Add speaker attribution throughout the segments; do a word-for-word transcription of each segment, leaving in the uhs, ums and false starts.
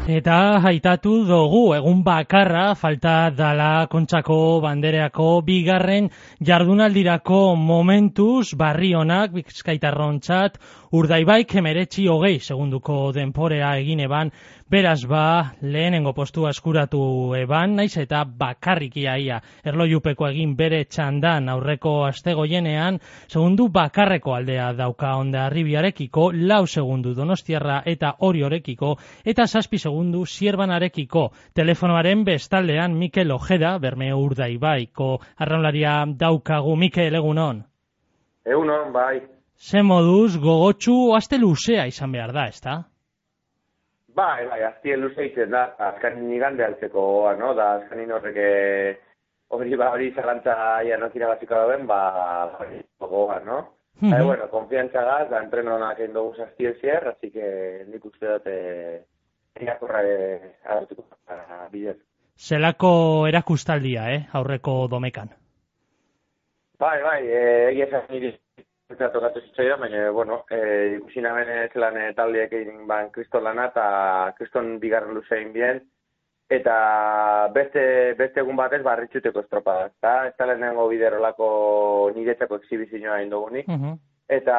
Speaker 1: eta haitatu dugu egun bakarra falta dala Kontxako bandereako bigarren jardunaldirako momentuz barri honak bizkaitarrontzat Urdaibaik hemeretzi hogei segunduko denporea egin eban, beraz ba lehenengo postua eskuratu eban, naiz eta bakarrik iaia erlojupeko egin bere txandan aurreko astegoienean, segundu bakarreko aldea dauka Hondarribiarekiko, lau segundu Donostiarra eta Oriorekiko, eta zazpi segundu Zierbanarekiko. Telefonoaren bestaldean Mikel Ojeda, Bermeo Urdaibaiko arraunlaria daukagu. Mikel, egunon?
Speaker 2: Egunon, bai.
Speaker 1: Ze moduz gogotsu aste luzea izan behar da, ezta?
Speaker 2: Bai, bai, azte luzea izan da, azkanin igande altzeko, no? Da azkanin horrek hori ba, hori zalantza ia nokira baziko dauen, ba, hori gogoa, no? Mm -hmm. Bueno, konfiantza gaz, da entrenonak egin dugu zaztien zier, así que nik uste dut irakorra agertuko bidez.
Speaker 1: Zelako erakustaldia, eh, aurreko domekan?
Speaker 2: Bai, bai, egia esan niri eta tokatu zitzaidan, baina, bueno, e, ikusi namen zelan e, taldeek egin ban kriston lana, eta kriston bigarren luzein bien, eta beste, beste egun batez barritxuteko estropada, eta ez da lehenengo biderolako niretzako exhibizioa egin dugunik, uh -huh. eta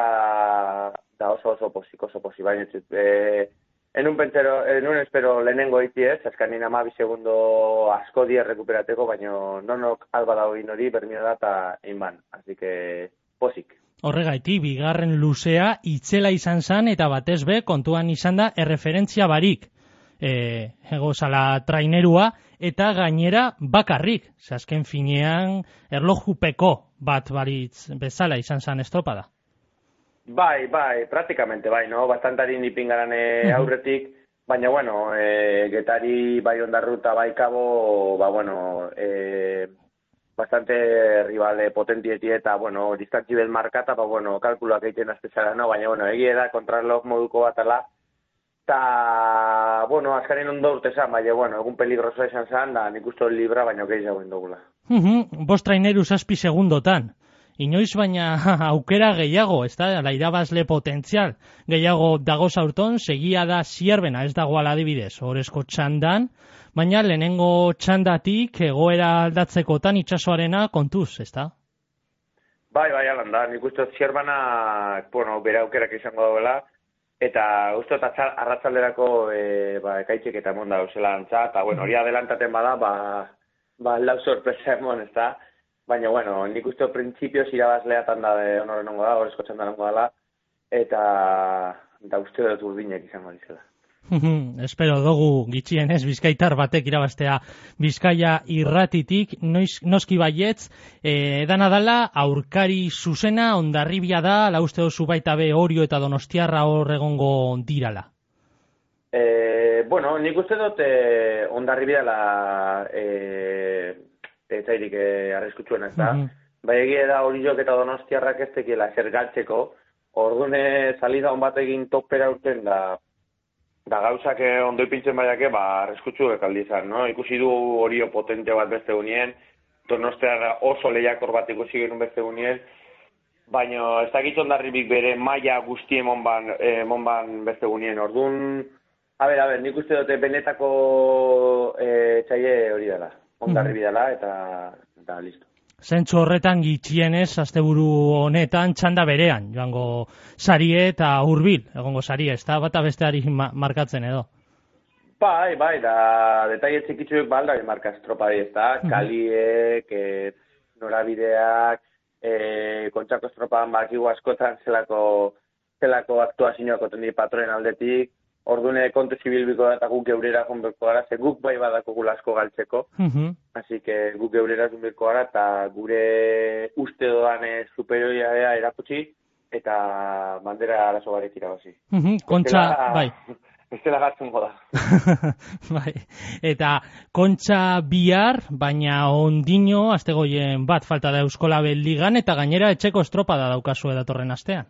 Speaker 2: da oso oso posik, oso posik, baina txut, e, enun pentsero, enun espero lehenengo iti ez, azkanin amabi segundo asko die rekuperateko, baina nonok alba dago egin hori, bermio da, eta egin ban, así que posik.
Speaker 1: Horregaiti, bigarren luzea itzela izan zan eta batez be kontuan izan da erreferentzia barik. E, ego zala trainerua eta gainera bakarrik. Azken finean erlojupeko bat baritz bezala izan zan estropada.
Speaker 2: Bai, bai, praktikamente bai, no? Bastantari nipingaran e, aurretik, baina bueno, e, Getari bai Ondarruta bai Kabo, ba bueno, e, bastante rivale potentieti eta, bueno, distantzibel markata, ba, bueno, kalkuloak egiten aztezara, no? Baina, bueno, egia da, kontrarlok moduko batala, eta, bueno, azkaren ondo urte zan, baina, bueno, egun peligroso esan zan, da nik uste libra, baina gehiago indogula.
Speaker 1: Uh -huh. Bost traineru zazpi segundotan. Inoiz baina aukera gehiago, ez da, la irabazle potentzial. Gehiago dago zaurton, segia da Zierbena, ez dago aladibidez, horrezko txandan, baina lehenengo txandatik egoera aldatzekotan itxasoarena kontuz, ez da?
Speaker 2: Bai, bai, alan da, nik uste Zierbana, bueno, bere aukerak izango dagoela, eta uste arratzalderako e, ba, ekaitxek eta emon da usela antza, eta bueno, hori adelantaten bada, ba, ba lau sorpresa emon, ez da? Baina, bueno, nik uste printzipioz irabazleatan da de honoren ongo da, horrezko txandan ongo dela, eta da uste dut urdinek izango dizela.
Speaker 1: Espero dugu gitxienez Bizkaitar batek irabaztea Bizkaia irratitik, noiz, noski baietz, e, edana dala aurkari zuzena Hondarribia da, la uste dozu baita be Orio eta Donostiarra hor egongo dirala.
Speaker 2: E, bueno, nik uste dut e, Hondarribia la e, etairik e, arreskutsuena ez da, uh -huh. bai egia da Oriok eta Donostiarrak ez tekiela zer galtzeko, ordune salida hon bat egin topera urten da Da gauzak ondo ipintzen baiake, ba, arreskutsu ekaldi izan, no? Ikusi du Orio potente bat beste unien, Donostiarra oso lehiakor bat ikusi genuen beste unien, baina ez dakit Hondarribik bere maila guztien monban, eh, monban beste unien. Orduan, a ber, a ber, nik uste dute benetako eh, txaile hori dela, Hondarribi dela, eta, eta listo.
Speaker 1: Zentzu horretan gitxienez, asteburu honetan, txanda berean, joango sarie eta hurbil, egongo sarie, ez da, bata besteari ma markatzen edo?
Speaker 2: Bai, bai, da, detaile txikitzuek balda marka estropa ez da, kaliek, e, norabideak, e, Kontxako estropan bakigu askotan zelako, zelako aktuazioak otendi patroen aldetik, ordune kontu zibilbiko da eta guk geurera jonbeko gara, ze guk bai badako gula asko galtzeko, uh -huh. Así que guk geurera jonbeko gara eta gure uste doan superioria erakutsi eta bandera arazo barik irabazi.
Speaker 1: Uh -huh. Kontxa, bai.
Speaker 2: Ez dela gatzungo da.
Speaker 1: Bai. Eta Kontxa bihar, baina ondino, astegoien bat falta da Euskolabel ligan eta gainera etxeko estropada daukazu datorren astean.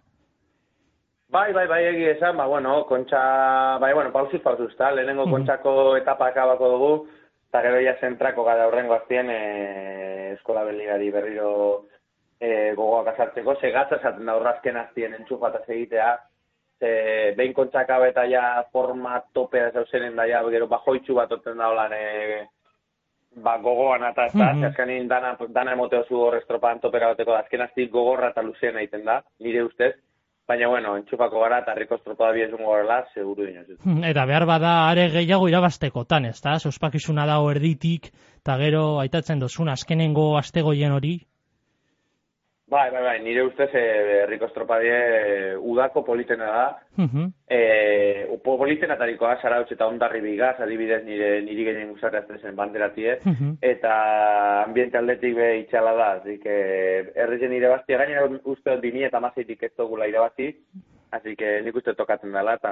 Speaker 2: Bai, bai, bai, egi esan, ba, bueno, Kontxa, bai, bueno, pausuz, pausuz, ta, lehenengo mm-hmm. Kontxako etapa akabako dugu, eta gero ja zentrako gara horrengo aztien e, Euskolabel ligari berriro e, gogoak azartzeko, segatza esaten da horrazken aztien entxufataz egitea, ze behin kontzaka eta ja forma topea zauzenen da, ja, gero bajoitxu bat oten da holan, e, ba, gogoan eta ez da, mm -hmm. azkanin dana, dana emoteo zu hor estropan topera bateko da, azken azti gogorra eta luzien egiten da, nire ustez, baina, bueno, entxufako gara eta herriko estropada biezun gorela, seguru dinoz.
Speaker 1: Eta behar bada are gehiago irabaztekotan, ez da? Ospakizuna dago erditik, eta gero aitatzen dozun azkenengo astegoien hori?
Speaker 2: Bai, bai, bai, nire ustez herriko estropadie e, udako politena da. Uh -huh. e, upo politena tarikoa, Zarautz eta Ondarri bigaz, adibidez nire niri gehien guzarra zen banderatie, uh -huh. eta ambiente aldetik be itxala da, zik, e, errizen irabaztia, gainera uste bi mila hamaseitik ez dugula irabazi, así que nik uste tokatzen dela, eta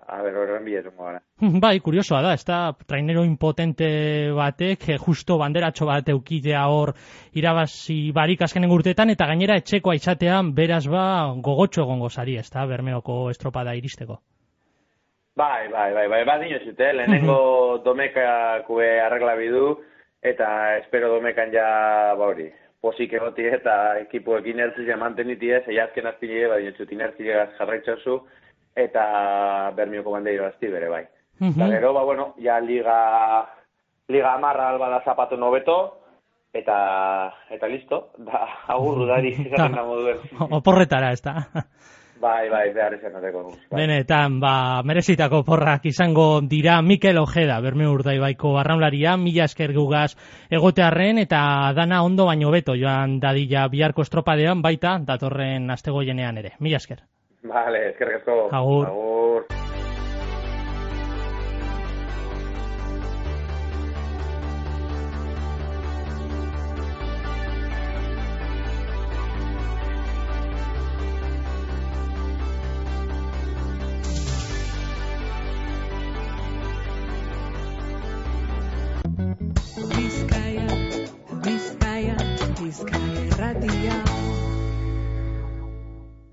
Speaker 2: a ber, horren bilezungo gara.
Speaker 1: Bai, kuriosoa da, ez da, trainero impotente batek, justo banderatxo bat eukidea hor irabazi barik azkenen urteetan, eta gainera etxekoa izatean, beraz ba, gogotxo egongo zari, ez da, Bermeoko estropada iristeko.
Speaker 2: Bai, bai, bai, bai, bat dinozit, eh? Lehenengo domekakue arregla bidu, eta espero domekan ja, ba hori, posik egoti eta ekipoek inertzia mantenitie, zei azken azpile, bat dinozit, inertzia jarraitzazu, eta Bermeoko bandeiro azti bere, bai. Uh -huh. Eta gero, ba, bueno, ja liga, liga amarra alba da zapatu nobeto, eta, eta listo, da, agurru dari, izaten da moduen.
Speaker 1: Oporretara, ez da.
Speaker 2: Bai, bai, behar izan ateko. Bai.
Speaker 1: Benetan, ba, merezitako porrak izango dira Mikel Ojeda, Bermeo Urdaibaiko arraunlaria, mila esker gugaz egotearren, eta dana ondo baino beto joan dadila biharko estropadean, baita datorren astegoienean ere. Mila esker.
Speaker 2: Vale, eskerrik asko.
Speaker 1: Agur. Agur.